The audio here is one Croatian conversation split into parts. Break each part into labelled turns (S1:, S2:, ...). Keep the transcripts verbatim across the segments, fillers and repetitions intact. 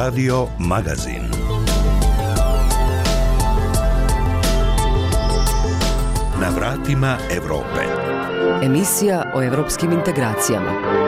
S1: Radio Magazin. Na vratima Evrope.
S2: Emisija o evropskim integracijama.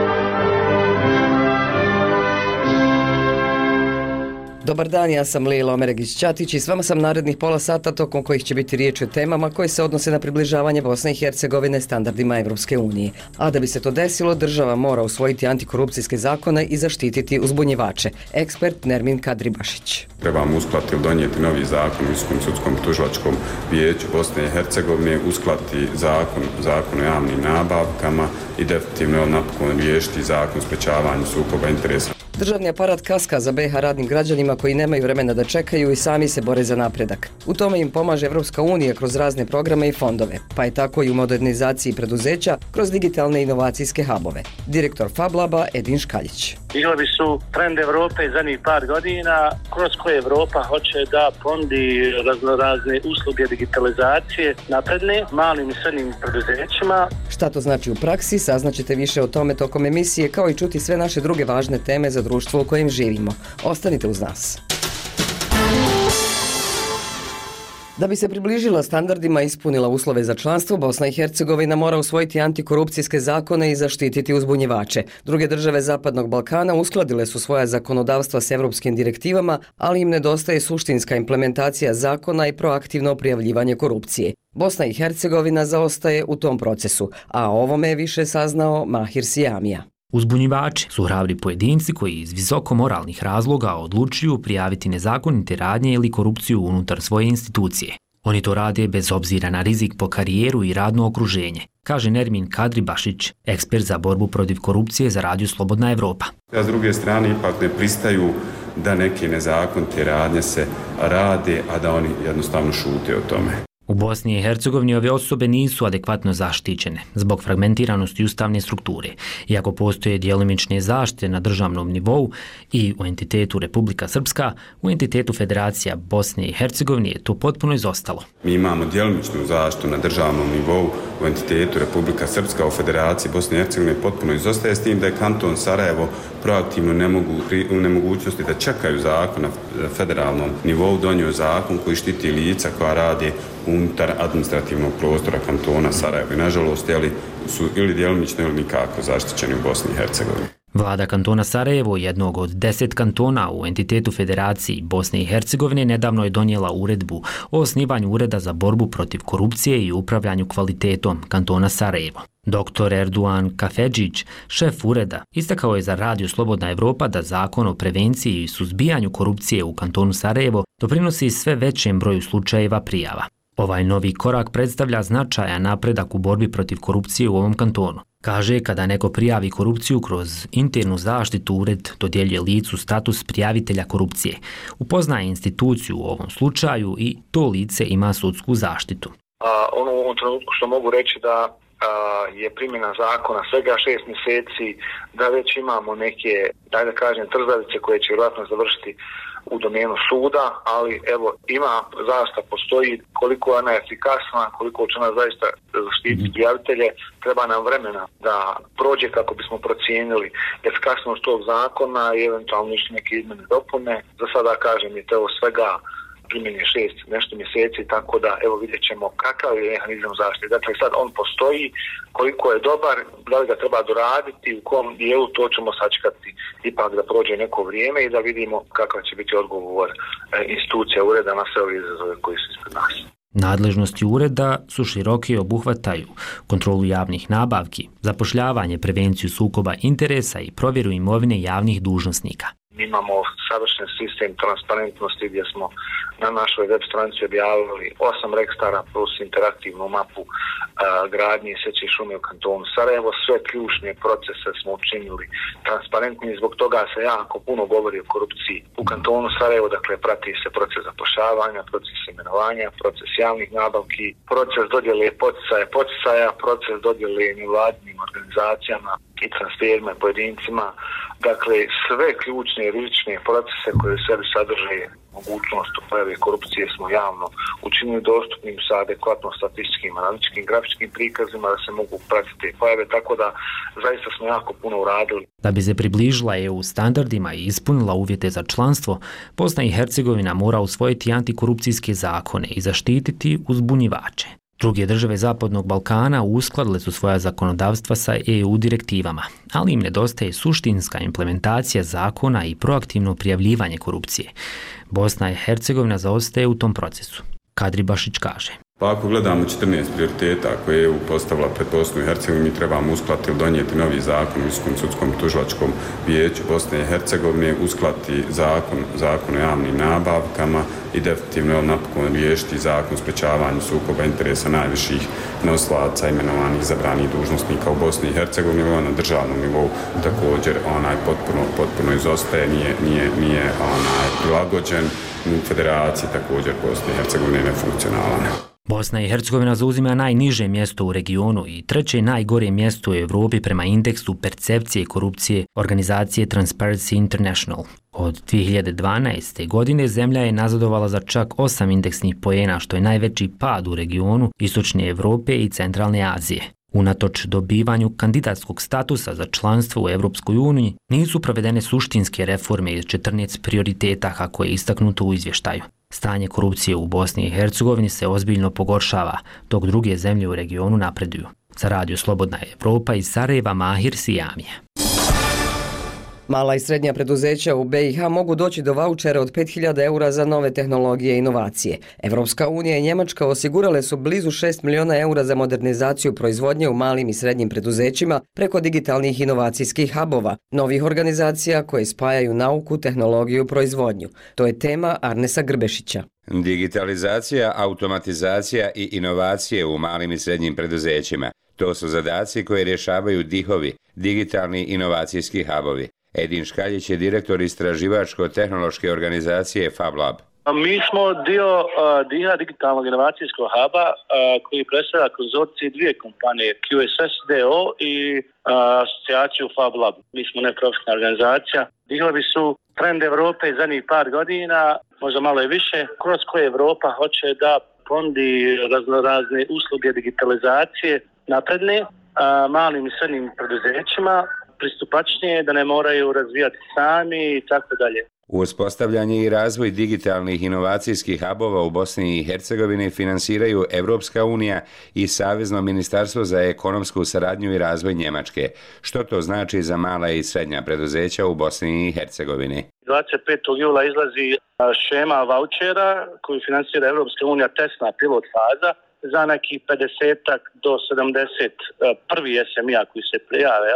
S2: Dobar dan, ja sam Lila Omeregić-Ćatić i s vama sam narednih pola sata tokom kojih će biti riječ o temama koje se odnose na približavanje Bosne i Hercegovine standardima Evropske unije. A da bi se to desilo, država mora usvojiti antikorupcijske zakone i zaštititi uzbunjivače. Ekspert Nermin Kadribašić.
S3: Trebamo uskladiti ili donijeti novi zakon u Visokom sudskom tužilačkom vijeću Bosne i Hercegovine, uskladiti zakon, zakon o javnim nabavkama i definitivno napokon riješiti zakon o sprečavanju sukoba interesa.
S2: Državni aparat kaska za be ha radnim građanima koji nemaju vremena da čekaju i sami se bore za napredak. U tome im pomaže Evropska unija kroz razne programe i fondove, pa je tako i u modernizaciji preduzeća kroz digitalne inovacijske hubove. Direktor FabLaba Edin Škaljić.
S4: Ilovi su trend Evrope zadnjih par godina, kroz koje Evropa hoće da ponudi raznorazne usluge digitalizacije napredne malim i srednjim preduzećima.
S2: Šta to znači u praksi, saznaćete više o tome tokom emisije, kao i čuti sve naše druge važne teme za društvo u kojem živimo. Ostanite uz nas. Da bi se približila standardima i ispunila uslove za članstvo, Bosna i Hercegovina mora usvojiti antikorupcijske zakone i zaštititi uzbunjivače. Druge države Zapadnog Balkana uskladile su svoja zakonodavstva s evropskim direktivama, ali im nedostaje suštinska implementacija zakona i proaktivno prijavljivanje korupcije. Bosna i Hercegovina zaostaje u tom procesu, a o ovome je više saznao Mahir Sijamija.
S5: Uzbunjivači su hrabri pojedinci koji iz visoko moralnih razloga odlučuju prijaviti nezakonite radnje ili korupciju unutar svoje institucije. Oni to rade bez obzira na rizik po karijeru i radno okruženje, kaže Nermin Kadribašić, ekspert za borbu protiv korupcije za Radio Slobodna Evropa.
S3: A s druge strane ipak ne pristaju da neke nezakonite radnje se rade, a da oni jednostavno šute o tome.
S5: U Bosni i Hercegovini ove osobe nisu adekvatno zaštićene zbog fragmentiranosti ustavne strukture. Iako postoje djelomične zaštite na državnom nivou i u entitetu Republika Srpska, u entitetu Federacija Bosne i Hercegovine je to potpuno izostalo.
S3: Mi imamo djelomičnu zaštitu na državnom nivou u entitetu Republika Srpska, u Federaciji Bosne i Hercegovine potpuno izostaje, s tim da je kanton Sarajevo proaktivno ne mogu, u nemogućnosti da čekaju zakon na federalnom nivou, donio zakon koji štiti lica koja radi unutar administrativnog prostora kantona Sarajevo. I nažalost, jeli, su ili djelomično ili nikako zaštićeni u Bosni i Hercegovini.
S5: Vlada kantona Sarajevo, jednog od deset kantona u entitetu Federaciji Bosne i Hercegovine, nedavno je donijela uredbu o osnivanju Ureda za borbu protiv korupcije i upravljanju kvalitetom kantona Sarajevo. Doktor Erduan Kafedžić, šef ureda, istakao je za Radio Slobodna Evropa da zakon o prevenciji i suzbijanju korupcije u kantonu Sarajevo doprinosi sve većem broju slučajeva prijava. Ovaj novi korak predstavlja značajan napredak u borbi protiv korupcije u ovom kantonu. Kaže, kada neko prijavi korupciju kroz internu zaštitu, ured dodjeljuje licu status prijavitelja korupcije. Upoznaje instituciju u ovom slučaju i to lice ima sudsku zaštitu.
S6: A, ono u ovom trenutku što mogu reći da a, je primjena zakona svega šest mjeseci, da već imamo neke, daj da kažem, trzavice koje će vjerojatno završiti u domenu suda, ali evo, ima, zaista postoji, koliko je ona efikasna, koliko će ona zaista zaštititi prijavitelje, treba nam vremena da prođe kako bismo procijenili efikasnost tog zakona i eventualno još neke izmjene dopune. Za sada, kažem, je to svega primjenje šest nešto mjeseci, tako da evo vidjet ćemo kakav je mehanizam zaštite. Dakle, sad on postoji, koliko je dobar, da li ga treba doraditi, u kom dijelu, to ćemo sačekati ipak da prođe neko vrijeme i da vidimo kakav će biti odgovor institucija ureda na sve ove izazove koji su ispred nas.
S5: Nadležnosti ureda su široke i obuhvataju kontrolu javnih nabavki, zapošljavanje, prevenciju sukoba interesa i provjeru imovine javnih dužnosnika.
S6: Imamo savršen sistem transparentnosti gdje smo na našoj web stranici objavili osam registara plus interaktivnu mapu a, gradnje i sječe šume u kantonu Sarajevo. Sve ključne procese smo učinili transparentni, zbog toga se jako puno govori o korupciji u kantonu Sarajevo. Dakle, prati se proces zapošljavanja, proces imenovanja, proces javnih nabavki, proces dodjele poticaja, poticaja, proces dodjele nevladinim organizacijama i transferima i pojedincima. Dakle, sve ključne rizične procese koje u sebi sadrže mogućnost pojave korupcije smo javno učinili dostupnim sa adekvatno statističkim, analitičkim, grafičkim prikazima da se mogu pratiti pojave, tako da zaista smo jako puno uradili.
S5: Da bi se približila E U standardima i ispunila uvjete za članstvo, Bosna i Hercegovina mora usvojiti antikorupcijske zakone i zaštititi uzbunjivače. Druge države Zapadnog Balkana uskladile su svoja zakonodavstva sa E U direktivama, ali im nedostaje suštinska implementacija zakona i proaktivno prijavljivanje korupcije. Bosna i Hercegovina zaostaje u tom procesu. Kadri Bašić kaže.
S3: Pa ako gledamo četrnaest prioriteta koje je E U postavila pred Bosnu i Hercegovinu, mi trebamo uskladiti ili donijeti novi zakon u Visokom sudskom tužilačkom vijeću Bosne i Hercegovine, uskladiti zakon, zakon o javnim nabavkama i definitivno napokon riješiti zakon o sprečavanju sukoba interesa najviših nosilaca imenovanih izabranih dužnosnika u Bosni i Hercegovini, na državnom nivou također onaj potpuno, potpuno izostaje, nije, nije, nije onaj prilagođen, u federaciji također Bosne i Hercegovine nefunkcionalan.
S5: Bosna i Hercegovina zauzima najniže mjesto u regionu i treće najgore mjesto u Europi prema indeksu percepcije korupcije organizacije Transparency International. Od dvije hiljade dvanaeste. godine zemlja je nazadovala za čak osam indeksnih poena, što je najveći pad u regionu Istočne Europe i Centralne Azije. Unatoč dobivanju kandidatskog statusa za članstvo u Europskoj uniji, nisu provedene suštinske reforme iz četrnaest prioriteta kako je istaknuto u izvještaju. Stanje korupcije u Bosni i Hercegovini se ozbiljno pogoršava, dok druge zemlje u regionu napreduju. Za Radio Slobodna Evropa iz Sarajeva, Mahir Sijamija.
S2: Mala i srednja preduzeća u B i H mogu doći do vaučera od pet hiljada eura za nove tehnologije i inovacije. Evropska unija i Njemačka osigurale su blizu šest miliona eura za modernizaciju proizvodnje u malim i srednjim preduzećima preko digitalnih inovacijskih hubova, novih organizacija koje spajaju nauku, tehnologiju i proizvodnju. To je tema Arnesa Grbešića.
S7: Digitalizacija, automatizacija i inovacije u malim i srednjim preduzećima. To su zadaci koje rješavaju dihovi, digitalni inovacijski hubovi. Edin Škaljić je direktor istraživačko-tehnološke organizacije FabLab.
S4: Mi smo dio uh, D I H digitalnog inovacijskog huba uh, koji predstavlja konzorcij dvije kompanije, Q S S D O i uh, asocijaciju FabLab. Mi smo neprofitna organizacija. Dihovi su trend Evrope zadnjih par godina, možda malo i više, kroz koje Evropa hoće da ponudi raznorazne usluge digitalizacije napredne uh, malim i srednjim preduzećima, pristupačnije, da ne moraju razvijati sami i tako dalje.
S7: Uspostavljanje i razvoj digitalnih inovacijskih hubova u Bosni i Hercegovini finansiraju Evropska unija i Savezno ministarstvo za ekonomsku saradnju i razvoj Njemačke. Što to znači za mala i srednja preduzeća u Bosni i Hercegovini?
S4: dvadeset petog jula izlazi šema vaučera koju finansira Evropska unija, testna pilot faza, za nekih pedeset do sedamdeset prvi S M I-a koji se prijave,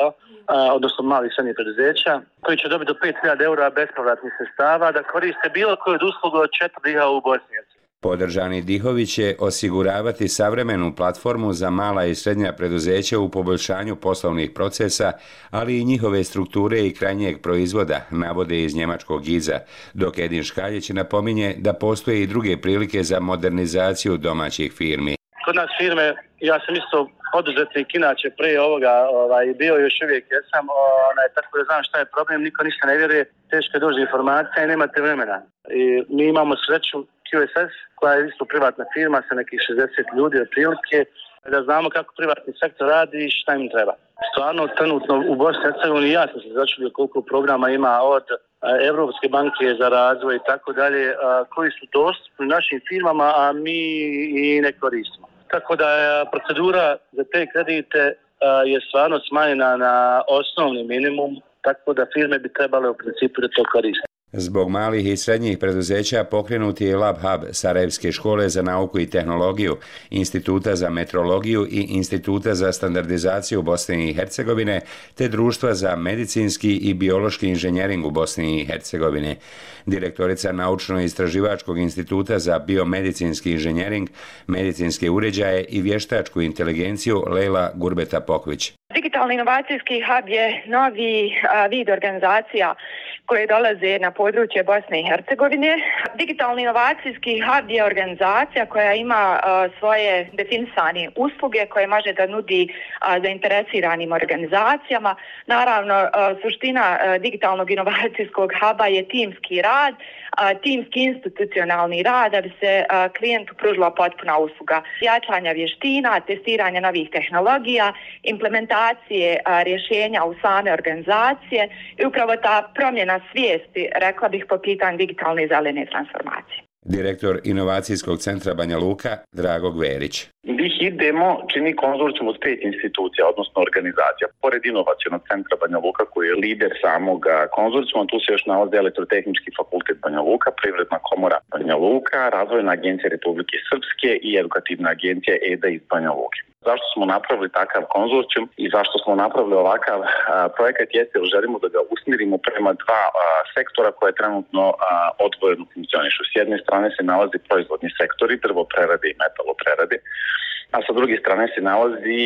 S4: odnosno malih srednjih preduzeća, koji će dobiti do pet hiljada eura bespovratnih sredstava da koriste bilo koju od usluga od četiri D I H u Bosni.
S7: Podržani dihovi će osiguravati savremenu platformu za mala i srednja preduzeća u poboljšanju poslovnih procesa, ali i njihove strukture i krajnjeg proizvoda, navode iz njemačkog giza, dok Edin Škaljić napominje da postoje i druge prilike za modernizaciju domaćih firmi.
S4: Kod nas firme, ja sam isto poduzetnik, inače prije ovoga ovaj, bio još uvijek jesam, onaj, tako da znam šta je problem, niko ništa ne vjeruje, teško je doći informacija i nemate vremena. I mi imamo sreću Q S S, koja je isto privatna firma sa nekih šezdeset ljudi otprilike, da znamo kako privatni sektor radi i šta im treba. Stvarno, trenutno u Bosni i Hercegovini ja sam se začudio koliko programa ima od Evropske banke za razvoj i tako dalje, koji su dostupni našim firmama, a mi i ne koristimo. Tako da procedura za te kredite je stvarno smanjena na osnovni minimum, tako da firme bi trebale u principu da to koriste.
S7: Zbog malih i srednjih preduzeća pokrenuti je Lab Hub Sarajevske škole za nauku i tehnologiju, Instituta za metrologiju i Instituta za standardizaciju Bosne i Hercegovine, te Društva za medicinski i biološki inženjering u Bosni i Hercegovini. Direktorica Naučno-istraživačkog instituta za biomedicinski inženjering, medicinske uređaje i vještačku inteligenciju Lejla Gurbeta Pokvić.
S8: Digitalni inovacijski hub je novi a, vid organizacija koje dolaze na područje Bosne i Hercegovine. Digitalni inovacijski hub je organizacija koja ima a, svoje definisane usluge koje može da nudi a, zainteresiranim organizacijama. Naravno, a, suština a, digitalnog inovacijskog huba je timski rad, a, timski institucionalni rad da bi se a, klijentu pružila potpuna usluga. Jačanja vještina, testiranja novih tehnologija, implementacija rješenja u same organizacije i upravo ta promjena svijesti, rekla bih, po pitanju digitalne i zelene transformacije.
S7: Direktor Inovacijskog centra Banja Luka, Drago Gverić.
S9: Bih idemo čini konzorcijum od pet institucija, odnosno organizacija. Pored Inovacionog centra Banja Luka, koji je lider samog konzorcijuma, tu se još nalazi Elektrotehnički fakultet Banja Luka, Privredna komora Banja Luka, Razvojna agencija Republike Srpske i Edukativna agencija E D A iz Banja Luke. Zašto smo napravili takav konzorcijum i zašto smo napravili ovakav a, projekat jeste jer želimo da ga usmjerimo prema dva a, sektora koje trenutno a, odvojeno funkcionišu. S jedne strane se nalazi proizvodni sektori, drvoprerade i metaloprerade, a sa druge strane se nalazi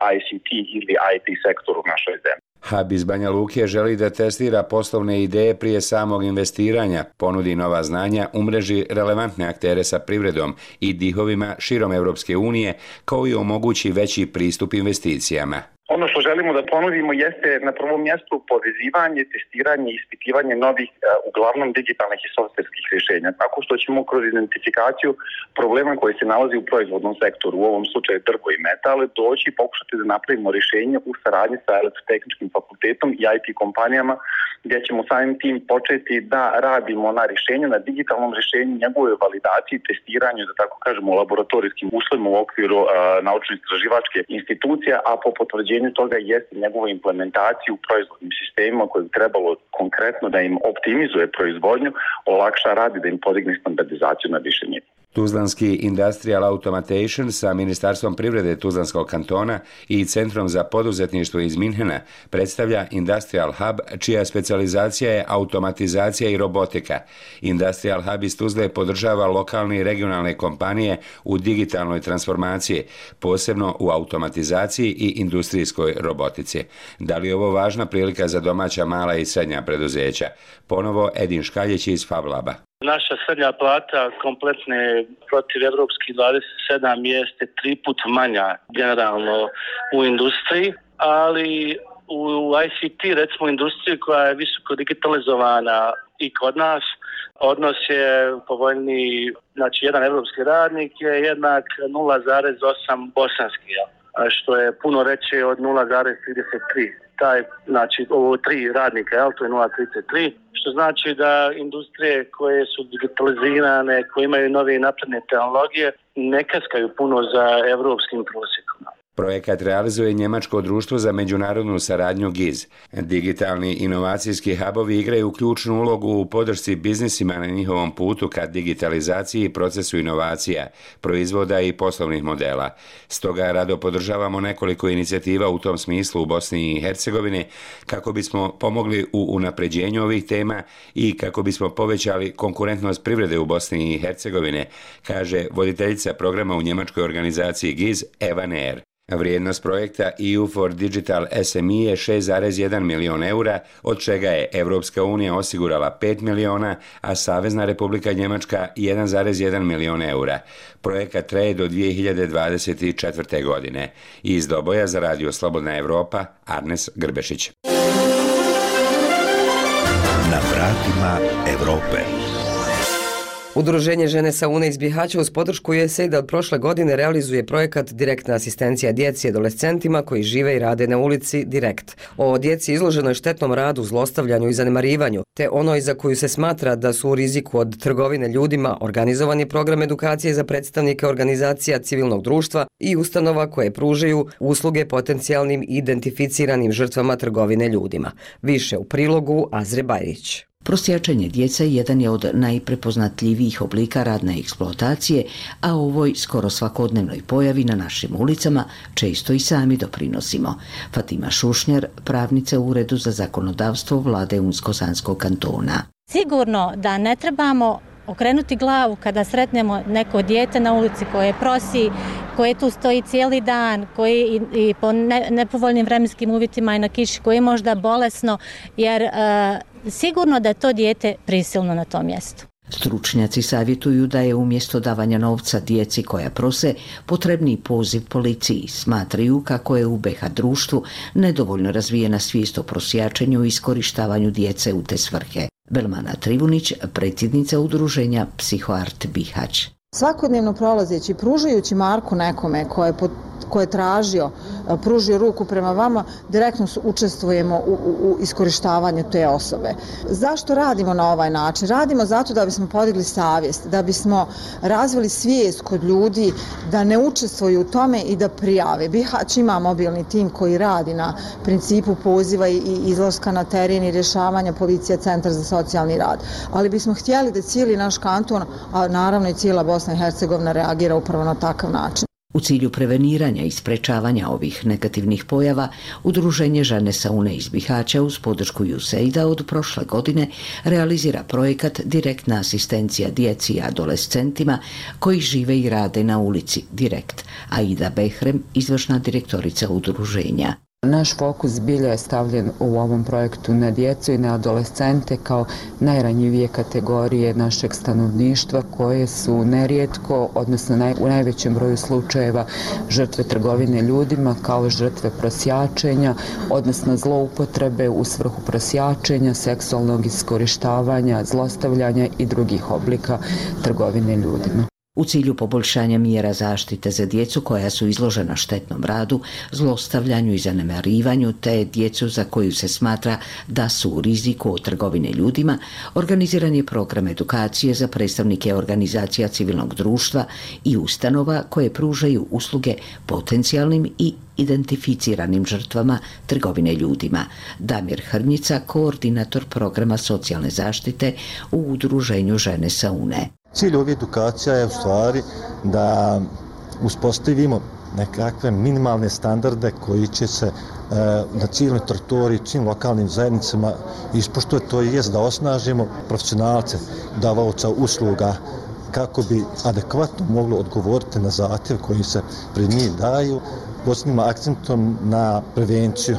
S9: a, I C T ili I T sektor u našoj zemlji.
S7: Hub iz Banja Luke želi da testira poslovne ideje prije samog investiranja, ponudi nova znanja, umreži relevantne aktere sa privredom i dihovima širom Europske unije, kao i omogući veći pristup investicijama.
S9: Ono što želimo da ponudimo jeste na prvom mjestu povezivanje, testiranje i ispitivanje novih, uglavnom digitalnih i softverskih rješenja, tako što ćemo kroz identifikaciju problema koji se nalazi u proizvodnom sektoru, u ovom slučaju drvo i metal, doći i pokušati da napravimo rješenje u saradnji sa Elektrotehničkim fakultetom i I T kompanijama, gdje ćemo samim tim početi da radimo na rješenju, na digitalnom rješenju, njegove validaciji, testiranju, da tako kažemo, u laboratorijskim uslovima u okviru uh, naučno-istraživačke institucije, a po potvrđenju toga jeste njegovu implementaciju u proizvodnim sistemima koje bi trebalo konkretno da im optimizuje proizvodnju, olakša rad i da im podigne standardizaciju na više nivoa.
S7: Tuzlanski Industrial Automation sa Ministarstvom privrede Tuzlanskog kantona i Centrom za poduzetništvo iz Minhena predstavlja Industrial Hub, čija specijalizacija je automatizacija i robotika. Industrial Hub iz Tuzle podržava lokalne i regionalne kompanije u digitalnoj transformaciji, posebno u automatizaciji i industrijskoj robotici. Da li je ovo važna prilika za domaća mala i srednja preduzeća? Ponovo Edin Škaljić iz Fablaba.
S4: Naša srednja plata kompletne protiv evropskih dvadeset sedam jeste tri put manja generalno u industriji, ali u I C T, recimo industriji koja je visoko digitalizovana i kod nas, odnos je povoljniji, znači jedan evropski radnik je jednak nula zarez osam bosanski, što je puno veće od nula zarez trideset tri. Taj, znači ovo tri radnika, jel, to je nula zarez trideset tri, što znači da industrije koje su digitalizirane, koje imaju nove napredne tehnologije, ne kaskaju puno za evropskim prosjekom.
S7: Projekat realizuje Njemačko društvo za međunarodnu saradnju G I Z. Digitalni inovacijski hubovi igraju ključnu ulogu u podršci biznisima na njihovom putu ka digitalizaciji i procesu inovacija, proizvoda i poslovnih modela. Stoga rado podržavamo nekoliko inicijativa u tom smislu u Bosni i Hercegovini kako bismo pomogli u unapređenju ovih tema i kako bismo povećali konkurentnost privrede u Bosni i Hercegovine, kaže voditeljica programa u njemačkoj organizaciji G I Z Eva Neer. Vrijednost projekta E U for Digital S M E je šest zarez jedan milion eura, od čega je Evropska unija osigurala pet miliona, a Savezna Republika Njemačka jedan zarez jedan milion eura. Projekat traje do dvije hiljade dvadeset četvrte. godine. Iz Doboja za Radio Slobodna Evropa, Arnes Grbešić.
S1: Na vratima Evrope.
S2: Udruženje Žene sa Une iz Bihaća uz podršku U S A I D od prošle godine realizuje projekat Direktna asistencija djeci i adolescentima koji žive i rade na ulici Direkt. O djeci izloženoj štetnom radu, zlostavljanju i zanemarivanju, te onoj za koju se smatra da su u riziku od trgovine ljudima, organizovani program edukacije za predstavnike organizacija civilnog društva i ustanova koje pružaju usluge potencijalnim i identificiranim žrtvama trgovine ljudima. Više u prilogu Azre Bajrić.
S10: Prosjačenje djece jedan je od najprepoznatljivijih oblika radne eksploatacije, a ovoj skoro svakodnevnoj pojavi na našim ulicama često i sami doprinosimo. Fatima Šušnjar, pravnica u Uredu za zakonodavstvo vlade Unsko-Sanskog kantona.
S11: Sigurno da ne trebamo okrenuti glavu kada sretnemo neko dijete na ulici koje prosi, koje tu stoji cijeli dan, koji i, i po ne, nepovoljnim vremenskim uvjetima i na kiši, koje je možda bolesno, jer e, sigurno da je to dijete prisilno na tom mjestu.
S10: Stručnjaci savjetuju da je umjesto davanja novca djeci koja prose potrebni poziv policiji. Smatraju kako je u be ha društvu nedovoljno razvijena svijest o prosjačenju i iskorištavanju djece u te svrhe. Belmana Trivunić, predsjednica udruženja Psihoart Bihać.
S12: Svakodnevno prolazeći, pružajući Marku nekome koje je, ko je tražio, pružio ruku prema vama, direktno učestvujemo u, u, u iskorištavanju te osobe. Zašto radimo na ovaj način? Radimo zato da bismo podigli savjest, da bismo razvili svijest kod ljudi da ne učestvuju u tome i da prijave. Bihać ima mobilni tim koji radi na principu poziva i izlaska na teren i rješavanja, policija, centar za socijalni rad. Ali bismo htjeli da cijeli naš kanton, a naravno i cijela Bosna i Hercegovina reagira upravo na takav način.
S10: U cilju preveniranja i sprečavanja ovih negativnih pojava, Udruženje Žene sa UNE iz Bihaća uz podršku ju se id a od prošle godine realizira projekat Direktna asistencija djeci i adolescentima koji žive i rade na ulici Direkt. Aida Behrem, izvršna direktorica udruženja.
S13: Naš fokus zbilja je stavljen u ovom projektu na djecu i na adolescente kao najranjivije kategorije našeg stanovništva koje su nerijetko, odnosno naj, u najvećem broju slučajeva žrtve trgovine ljudima kao žrtve prosjačenja, odnosno zloupotrebe u svrhu prosjačenja, seksualnog iskorištavanja, zlostavljanja i drugih oblika trgovine ljudima.
S10: U cilju poboljšanja mjera zaštite za djecu koja su izložena štetnom radu, zlostavljanju i zanemarivanju te djecu za koju se smatra da su u riziku od trgovine ljudima, organiziran je program edukacije za predstavnike organizacija civilnog društva i ustanova koje pružaju usluge potencijalnim i identificiranim žrtvama trgovine ljudima. Damir Hrnjica, koordinator programa socijalne zaštite u Udruženju Žene sa UNE.
S14: Cilj ove edukacija je u stvari da uspostavimo nekakve minimalne standarde koji će se e, na cijeloj teritoriji, svim lokalnim zajednicama ispoštovati, to jest da osnažimo profesionalce, davaoca usluga kako bi adekvatno moglo odgovoriti na zahtjev koji se pred njih daju, posebnim akcentom na prevenciju,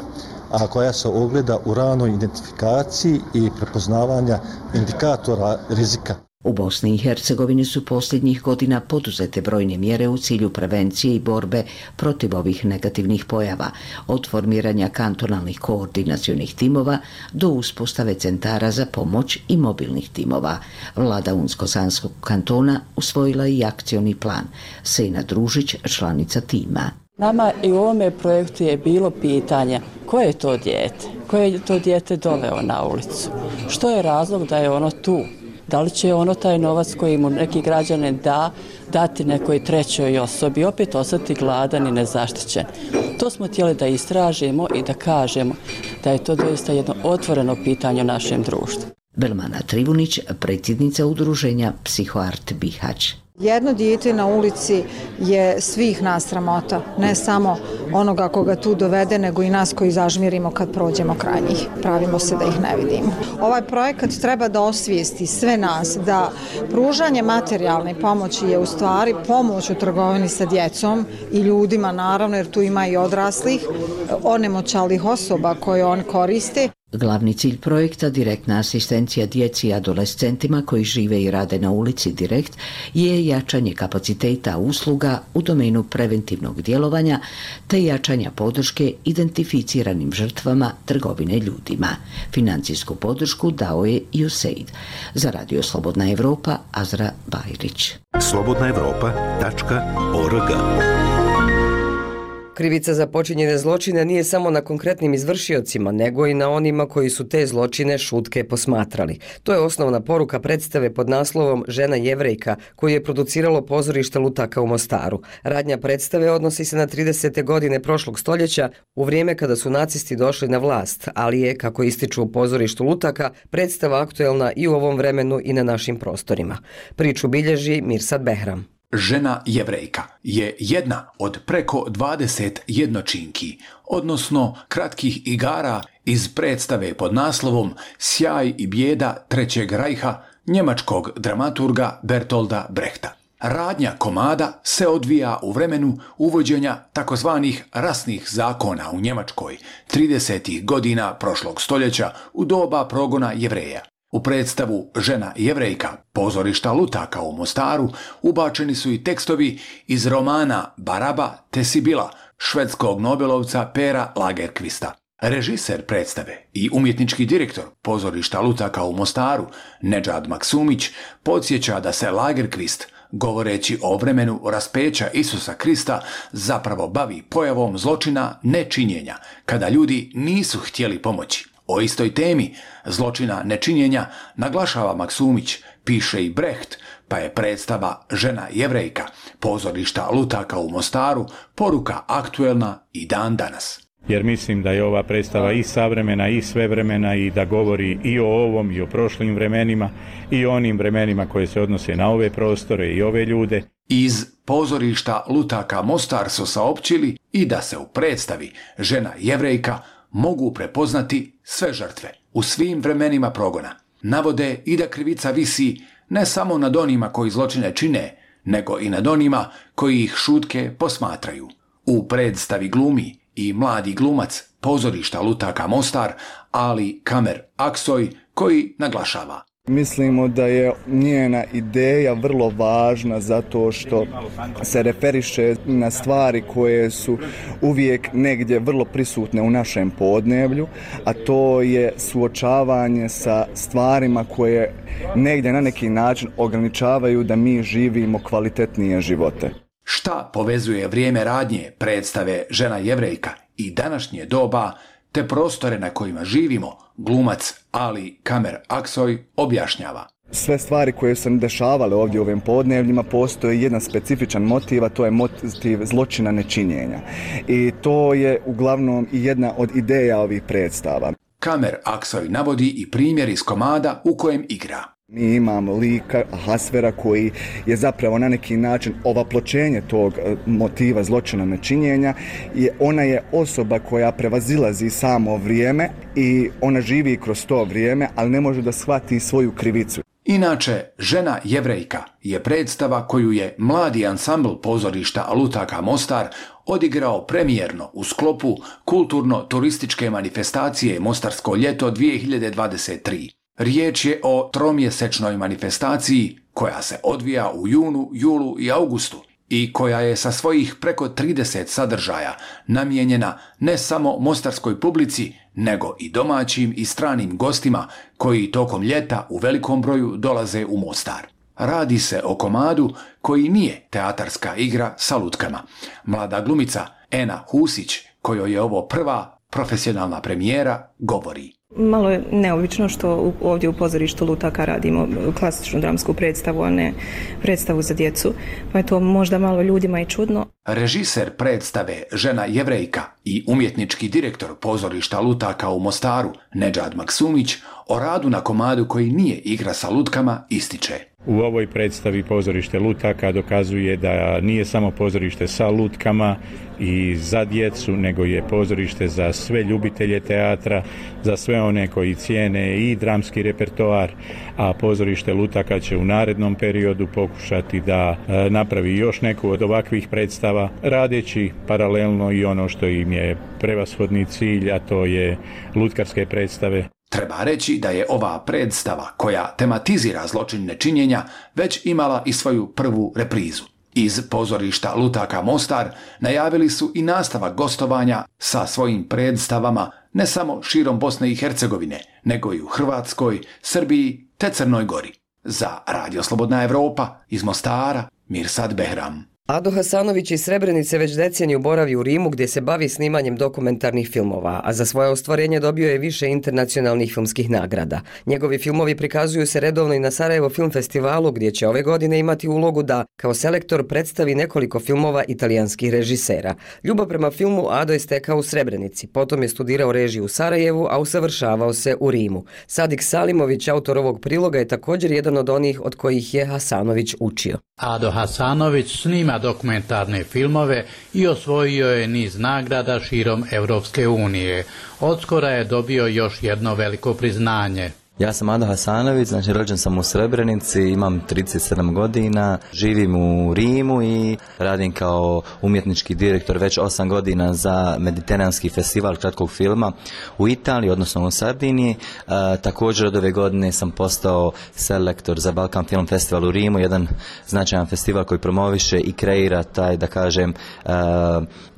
S14: a koja se ogleda u ranoj identifikaciji i prepoznavanja indikatora rizika.
S10: U Bosni i Hercegovini su posljednjih godina poduzete brojne mjere u cilju prevencije i borbe protiv ovih negativnih pojava, od formiranja kantonalnih koordinacionih timova do uspostave centara za pomoć i mobilnih timova. Vlada Unsko-Sanskog kantona usvojila i akcioni plan. Sejna Družić, članica tima.
S15: Nama i u ovome projektu je bilo pitanje koje je to dijete, koje je to dijete doveo na ulicu, što je razlog da je ono tu. Da li će ono taj novac koji mu neki građanin da, dati nekoj trećoj osobi, opet ostati gladan i nezaštićen. To smo htjeli da istražimo i da kažemo da je to doista jedno otvoreno pitanje u našem društvu.
S10: Belmana Trivunić, predsjednica udruženja Psihoart Bihać.
S12: Jedno dijete na ulici je svih nas sramota, ne samo onoga koga tu dovede, nego i nas koji zažmirimo kad prođemo kraj njih. Pravimo se da ih ne vidimo. Ovaj projekat treba da osvijesti sve nas da pružanje materijalne pomoći je u stvari pomoć u trgovini sa djecom i ljudima, naravno, jer tu ima i odraslih, onemoćalih osoba koje on koriste.
S10: Glavni cilj projekta Direktna asistencija djeci i adolescentima koji žive i rade na ulici Direkt je jačanje kapaciteta usluga u domenu preventivnog djelovanja te jačanja podrške identificiranim žrtvama trgovine ljudima. Financijsku podršku dao je ju se id. Za Radio Slobodna Evropa, Azra Bajrić.
S1: slobodna evropa tačka org.
S2: Krivica za počinjene zločine nije samo na konkretnim izvršiocima, nego i na onima koji su te zločine šutke posmatrali. To je osnovna poruka predstave pod naslovom Žena Jevrejka, koju je produciralo pozorište Lutaka u Mostaru. Radnja predstave odnosi se na tridesete godine prošlog stoljeća, u vrijeme kada su nacisti došli na vlast, ali je, kako ističu u pozorištu Lutaka, predstava aktuelna i u ovom vremenu i na našim prostorima. Priču bilježi Mirsad Behram.
S16: Žena Jevrejka je jedna od preko dvadeset jednočinki, odnosno kratkih igara iz predstave pod naslovom Sjaj i bijeda Trećeg rajha njemačkog dramaturga Bertolda Brechta. Radnja komada se odvija u vremenu uvođenja takozvanih rasnih zakona u Njemačkoj tridesetih godina prošlog stoljeća u doba progona Jevreja. U predstavu Žena Jevrejka pozorišta Lutaka u Mostaru ubačeni su i tekstovi iz romana Baraba te Sibila švedskog nobelovca Pera Lagerkvista. Režiser predstave i umjetnički direktor pozorišta Lutaka u Mostaru Nedžad Maksumić podsjeća da se Lagerkvist, govoreći o vremenu raspeća Isusa Krista, zapravo bavi pojavom zločina nečinjenja, kada ljudi nisu htjeli pomoći. O istoj temi zločina nečinjenja naglašava Maksumić, piše i Brecht, pa je predstava Žena Jevrejka pozorišta Lutaka u Mostaru poruka aktuelna i dan danas.
S17: Jer mislim da je ova predstava i savremena i svevremena i da govori i o ovom i o prošlim vremenima i o onim vremenima koje se odnose na ove prostore i ove ljude.
S16: Iz pozorišta Lutaka Mostar su saopćili i da se u predstavi Žena Jevrejka mogu prepoznati sve žrtve u svim vremenima progona. Navode i da krivica visi ne samo nad onima koji zločine čine, nego i nad onima koji ih šutke posmatraju. U predstavi glumi i mladi glumac pozorišta Lutaka Mostar, Ali Kamer Aksoj, koji naglašava:
S18: Mislimo da je njena ideja vrlo važna zato što se referiše na stvari koje su uvijek negdje vrlo prisutne u našem podneblju, a to je suočavanje sa stvarima koje negdje na neki način ograničavaju da mi živimo kvalitetnije živote.
S16: Šta povezuje vrijeme radnje predstave Žena Jevrejka i današnje doba te prostore na kojima živimo, glumac Ali Kamer Aksoj objašnjava.
S18: Sve stvari koje su se dešavale ovdje u ovim podnevljima, postoji jedan specifičan motiv, a to je motiv zločina nečinjenja. I to je uglavnom i jedna od ideja ovih predstava.
S16: Kamer Aksoj navodi i primjer iz komada u kojem igra.
S18: Mi imamo lika Ahasvera koji je zapravo na neki način ovapločenje tog motiva zločina nečinjenja. Ona je osoba koja prevazilazi samo vrijeme i ona živi kroz to vrijeme, ali ne može da shvati svoju krivicu.
S16: Inače, Žena Jevrejka je predstava koju je mladi ansambl pozorišta Lutaka Mostar odigrao premijerno u sklopu kulturno-turističke manifestacije Mostarsko ljeto dvije hiljade dvadeset tri. Riječ je o tromjesečnoj manifestaciji koja se odvija u junu, julu i augustu i koja je sa svojih preko trideset sadržaja namijenjena ne samo mostarskoj publici, nego i domaćim i stranim gostima koji tokom ljeta u velikom broju dolaze u Mostar. Radi se o komadu koji nije teatarska igra sa lutkama. Mlada glumica Ena Husić, kojoj je ovo prva profesionalna premijera, govori.
S19: Malo je neobično što ovdje u pozorištu Lutaka radimo klasičnu dramsku predstavu, a ne predstavu za djecu, pa je to možda malo ljudima i čudno.
S16: Režiser predstave Žena Jevrejka i umjetnički direktor pozorišta Lutaka u Mostaru Nedžad Maksumić o radu na komadu koji nije igra sa lutkama ističe.
S17: U ovoj predstavi pozorište Lutaka dokazuje da nije samo pozorište sa lutkama i za djecu, nego je pozorište za sve ljubitelje teatra, za sve one koji cijene i dramski repertoar, a pozorište Lutaka će u narednom periodu pokušati da napravi još neku od ovakvih predstava, radeći paralelno i ono što im je prevashodni cilj, a to je lutkarske predstave.
S16: Treba reći da je ova predstava koja tematizira zločin nečinjenja već imala i svoju prvu reprizu. Iz pozorišta Lutaka Mostar najavili su i nastavak gostovanja sa svojim predstavama ne samo širom Bosne i Hercegovine, nego i u Hrvatskoj, Srbiji te Crnoj Gori. Za Radio Slobodna Evropa iz Mostara, Mirsad Behram.
S2: Ado Hasanović iz Srebrenice već deceniju boravi u Rimu gdje se bavi snimanjem dokumentarnih filmova, a za svoje ostvarenje dobio je više internacionalnih filmskih nagrada. Njegovi filmovi prikazuju se redovno i na Sarajevo Film Festivalu gdje će ove godine imati ulogu da kao selektor predstavi nekoliko filmova italijanskih režisera. Ljubav prema filmu Ado je stekao u Srebrenici, potom je studirao režiju u Sarajevu, a usavršavao se u Rimu. Sadik Salimović, autor ovog priloga, je također jedan od onih od kojih je Hasanović učio.
S20: Ado Hasanović snima dokumentarne filmove i osvojio je niz nagrada širom Europske unije. Odskora je dobio još jedno veliko priznanje.
S21: Ja sam Ado Hasanović, znači rođen sam u Srebrenici, imam trideset sedam godina, živim u Rimu i radim kao umjetnički direktor već osam godina za Mediteranski festival kratkog filma u Italiji, odnosno u Sardiniji. E, također od ove godine sam postao selektor za Balkan Film Festival u Rimu, jedan značajan festival koji promoviše i kreira taj, da kažem, e,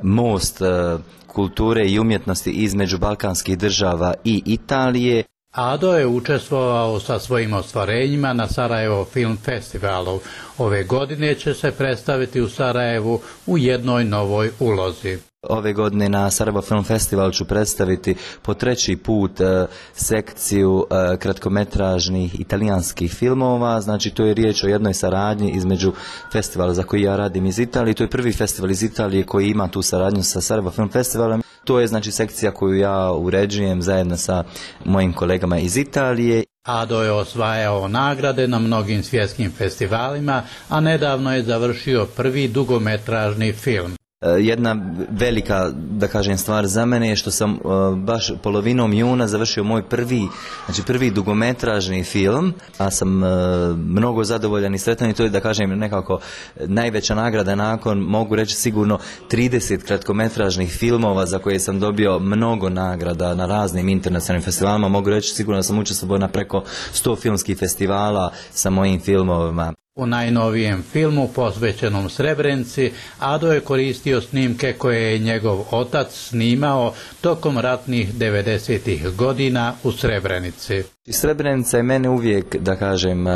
S21: most e, kulture i umjetnosti između balkanskih država i Italije.
S20: Ado je učestvovao sa svojim ostvarenjima na Sarajevo Film Festivalu. Ove godine će se predstaviti u Sarajevu u jednoj novoj ulozi.
S21: Ove godine na Sarajevo Film Festival ću predstaviti po treći put e, sekciju e, kratkometražnih italijanskih filmova. Znači to je riječ o jednoj saradnji između festivala za koji ja radim iz Italije. To je prvi festival iz Italije koji ima tu saradnju sa Sarajevo Film Festivalom. To je znači sekcija koju ja uređujem zajedno sa mojim kolegama iz Italije.
S20: Ado je osvajao nagrade na mnogim svjetskim festivalima, a nedavno je završio prvi dugometražni film.
S21: Jedna velika, da kažem, stvar za mene je što sam uh, baš polovinom juna završio moj prvi, znači prvi dugometražni film, a sam uh, mnogo zadovoljan i sretan i to je, da kažem, nekako najveća nagrada nakon, mogu reći sigurno, trideset kratkometražnih filmova za koje sam dobio mnogo nagrada na raznim internacionalnim festivalima. Mogu reći sigurno da sam učestvovao na preko sto filmskih festivala sa mojim filmovima.
S20: U najnovijem filmu posvećenom Srebrenici Ado je koristio snimke koje je njegov otac snimao tokom ratnih devedesetih godina u Srebrenici.
S21: Srebrenica je mene uvijek, da kažem,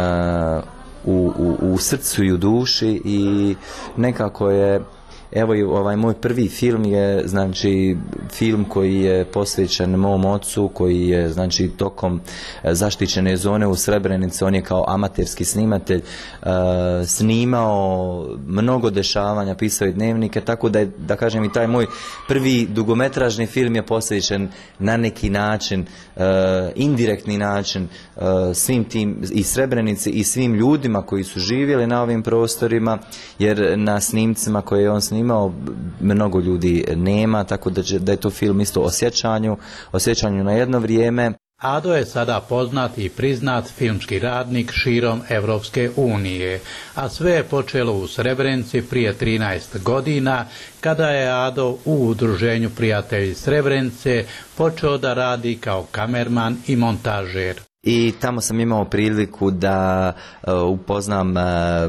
S21: u, u, u srcu i u duši i nekako je, evo i ovaj moj prvi film je, znači, film koji je posvećen mom ocu, koji je, znači, tokom zaštićene zone u Srebrenici, on je kao amaterski snimatelj uh, snimao mnogo dešavanja, pisao i dnevnike, tako da je, da kažem, i taj moj prvi dugometražni film je posvećen na neki način, uh, indirektni način uh, svim tim i Srebrenici i svim ljudima koji su živjeli na ovim prostorima, jer na snimcima koje je on snimao imao mnogo ljudi nema, tako da, će, da je to film isto o sjećanju, o sjećanju na jedno vrijeme.
S20: Ado je sada poznat i priznat filmski radnik širom Evropske unije, a sve je počelo u Srebrenici prije trinaest godina, kada je Ado u udruženju Prijatelji Srebrenice počeo da radi kao kamerman i montažer.
S21: I tamo sam imao priliku da uh, upoznam uh,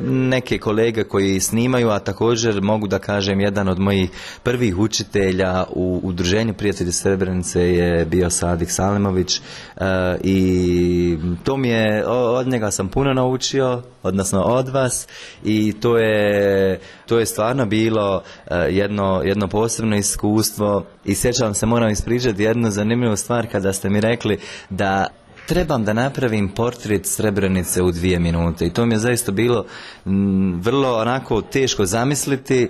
S21: neke kolege koji snimaju, a također mogu da kažem jedan od mojih prvih učitelja u udruženju Prijatelji Srebrenice je bio Sadik Salimović uh, i to mi je, od njega sam puno naučio, odnosno od vas, i to je, to je stvarno bilo uh, jedno, jedno posebno iskustvo i sjećam se, moram ispričati jednu zanimljivu stvar kada ste mi rekli da trebam da napravim portret Srebrenice u dvije minute i to mi je zaista bilo m, vrlo onako teško zamisliti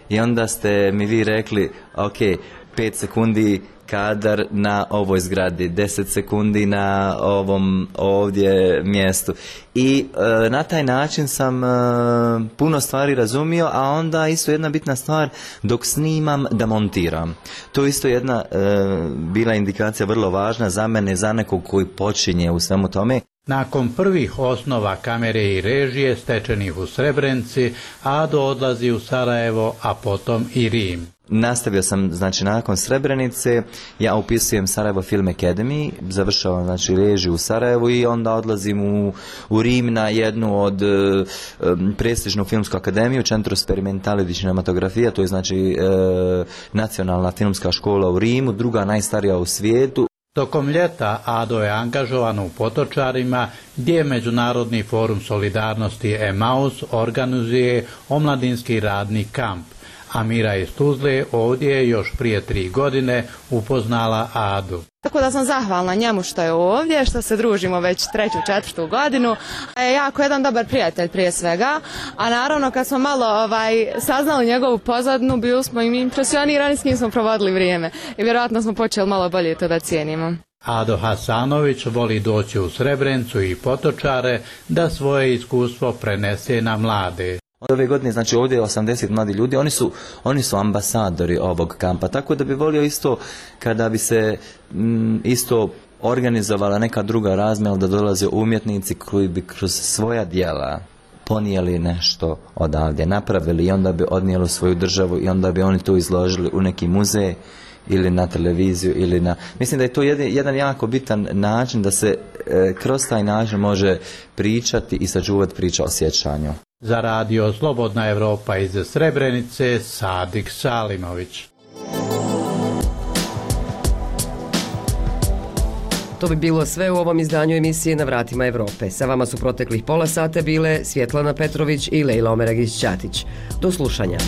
S21: i onda ste mi vi rekli ok, pet sekundi kadar na ovoj zgradi, deset sekundi na ovom ovdje mjestu i e, na taj način sam e, puno stvari razumio, a onda isto jedna bitna stvar, dok snimam da montiram. To isto jedna e, bila indikacija vrlo važna za mene, za nekog koji počinje u svemu tome.
S20: Nakon prvih osnova kamere i režije stečenih u Srebrenici, Ado odlazi u Sarajevo, a potom i Rim.
S21: Nastavio sam, znači, nakon Srebrenice, ja upisujem Sarajevo Film Academy, završavam, znači, režiju u Sarajevu i onda odlazim u, u Rim na jednu od um, prestižnu filmsku akademiju, Centro Sperimentale di Cinematografia, to je, znači, uh, nacionalna filmska škola u Rimu, druga najstarija u svijetu.
S20: Tokom ljeta Ado je angažovan u Potočarima, gdje Međunarodni forum solidarnosti Emaus organizuje omladinski radni kamp. Amira iz Tuzle ovdje je još prije tri godine upoznala Adu.
S22: Tako da sam zahvalna njemu što je ovdje, što se družimo već treću, četvrtu godinu. Je jako jedan dobar prijatelj prije svega, a naravno kad smo malo ovaj, saznali njegovu pozadinu, bili smo im impresionirani s njim smo provodili vrijeme i vjerojatno smo počeli malo bolje to da cijenimo.
S20: Ado Hasanović voli doći u Srebrenicu i Potočare da svoje iskustvo prenese na mlade.
S21: Ove godine, znači, ovdje je osamdeset mladi ljudi, oni su, oni su ambasadori ovog kampa, tako da bi volio isto kada bi se m, isto organizovala neka druga razmjena, da dolaze umjetnici koji bi kroz svoja djela ponijeli nešto odavdje, napravili i onda bi odnijeli svoju državu i onda bi oni to izložili u neki muzej ili na televiziju ili na... Mislim da je to jedan, jedan jako bitan način da se e, kroz taj način može pričati i sačuvati priča o sjećanju.
S20: Za radio Slobodna Evropa iz Srebrenice, Sadik Salimović.
S2: To bi bilo sve u ovom izdanju emisije Na vratima Evrope. Sa vama su proteklih pola sata bile Svjetlana Petrović i Lejla Omeragić-Ćatić. Do slušanja.